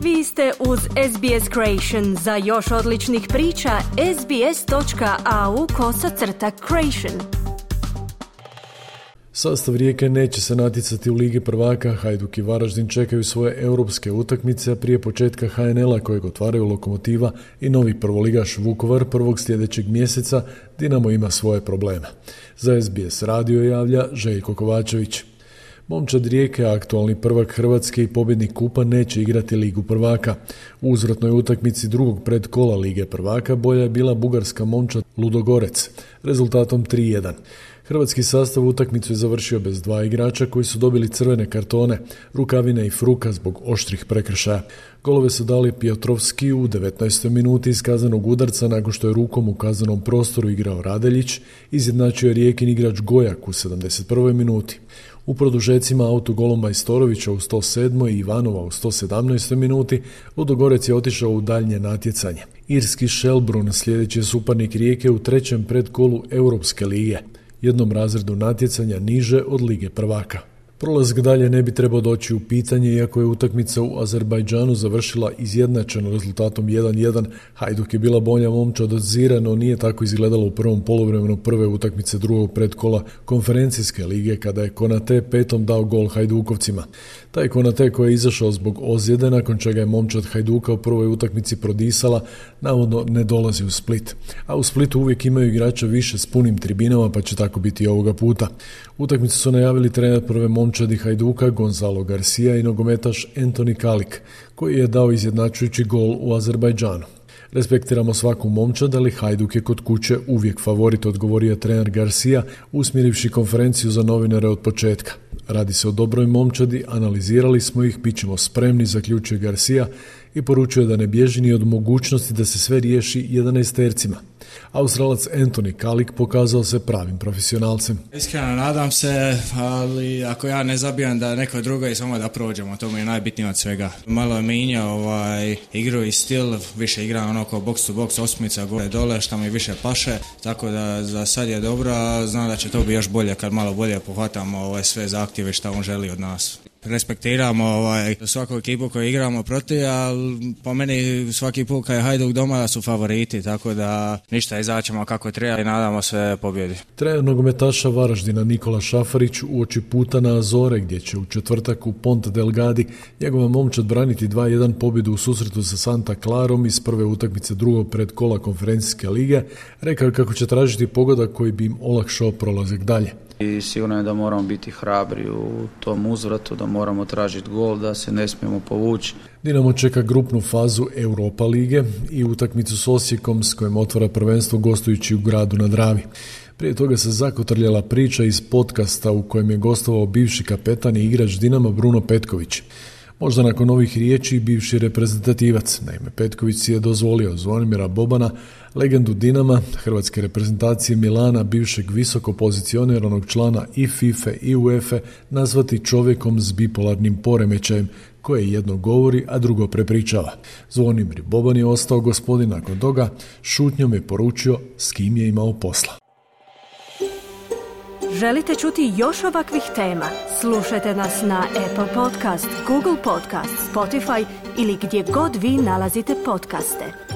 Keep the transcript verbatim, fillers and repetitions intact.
Vi ste uz S B S Creation. Za još odličnih priča, sbs.au kosacrta creation. Sastav Rijeke neće se natjecati u Ligi prvaka. Hajduk i Varaždin čekaju svoje europske utakmice, a prije početka H N L-a kojeg otvaraju Lokomotiva i novi prvoligaš Vukovar prvog sljedećeg mjeseca, Dinamo ima svoje probleme. Za S B S radio javlja Željko Kovačević. Momčad Rijeke, aktualni prvak Hrvatske i pobjednik kupa, neće igrati Ligu prvaka. U uzvratnoj utakmici drugog predkola Lige prvaka bolja je bila bugarska momčad Ludogorec, rezultatom tri jedan. Hrvatski sastav utakmicu je završio bez dva igrača koji su dobili crvene kartone, Rukavina i Fruka zbog oštrih prekršaja. Golove su dali Piotrovski u devetnaestoj minuti iz kaznenog udarca nakon što je rukom u kaznenom prostoru igrao Radeljić, izjednačio je Rijekin igrač Gojak u sedamdeset prvoj minuti. U produžecima autogolom Majstorovića u sto sedmoj i Ivanova u sto sedamnaestoj minuti Ludogorec je otišao u daljnje natjecanje. Irski Shelbrun sljedeći je suparnik Rijeke u trećem predkolu Europske lige, jednom razredu natjecanja niže od Lige prvaka. Prolazak dalje ne bi trebao doći u pitanje, iako je utakmica u Azerbajdžanu završila izjednačeno rezultatom jedan jedan. Hajduk je bila bolja momčad od Zira, no nije tako izgledalo u prvom poluvremenu prve utakmice drugog predkola konferencijske lige, kada je Konate petom dao gol Hajdukovcima. Taj Konate koji je izašao zbog ozljede, nakon čega je momčad Hajduka u prvoj utakmici prodisala, navodno ne dolazi u Split. A u Splitu uvijek imaju igrača više s punim tribinama, pa će tako biti i ovoga puta. Utakmicu su najavili trener prve momčadi Hajduka Gonzalo Garcia i nogometaš Antoni Kalik, koji je dao izjednačujući gol u Azerbajdžanu. Respektiramo svaku momčad, ali Hajduk je kod kuće uvijek favorit, odgovorio trener Garcia, usmjerivši konferenciju za novinare od početka. Radi se o dobroj momčadi, analizirali smo ih, bit ćemo spremni, zaključuje Garcia i poručuje da ne bježi ni od mogućnosti da se sve riješi jedanaestercima. Australac Antoni Kalik pokazao se pravim profesionalcem. Iskreno nadam se, ali ako ja ne zabijam da neko drugo i samo da prođemo, to mi je najbitnije od svega. Malo je minjao ovaj, igru i stil, više igram ono kao box to box, osmica gore dole, što mi više paše, tako da za sad je dobro, a znam da će to biti još bolje kad malo bolje pohvatamo ovaj, sve zahtjeve što on želi od nas. Respektiramo ovaj, svaku ekipu koju igramo protiv, ali po meni svaki put kad je Hajduk doma su favoriti, tako da ništa, izaćemo kako treba i nadamo se pobjedi. Trener nogometaša Varaždina Nikola Šafarić uoči puta na Azore, gdje će u četvrtak u Ponte Delgadi njegova momčad braniti dva jedan pobjedu u susretu sa Santa Clarom iz prve utakmice drugog predkola konferencijske lige, rekao kako će tražiti pogodak koji bi im olakšao prolazak dalje. I sigurno je da moramo biti hrabri u tom uzvratu, da moramo tražiti gol, da se ne smijemo povući. Dinamo čeka grupnu fazu Europa lige i utakmicu s Osijekom s kojim otvara prvenstvo gostujući u Gradu na Dravi. Prije toga se zakotrljala priča iz podcasta u kojem je gostovao bivši kapetan i igrač Dinama Bruno Petković. Možda nakon ovih riječi bivši reprezentativac. Naime, Petković si je dozvolio Zvonimira Bobana, legendu Dinama, hrvatske reprezentacije Milana, bivšeg visoko pozicioniranog člana i FIFA i UEFA, nazvati čovjekom s bipolarnim poremećajem, koje jedno govori, a drugo prepričava. Zvonimir Boban je ostao gospodin nakon toga, šutnjom je poručio s kim je imao posla. Želite čuti još ovakvih tema? Slušajte nas na Apple Podcast, Google Podcast, Spotify ili gdje god vi nalazite podcaste.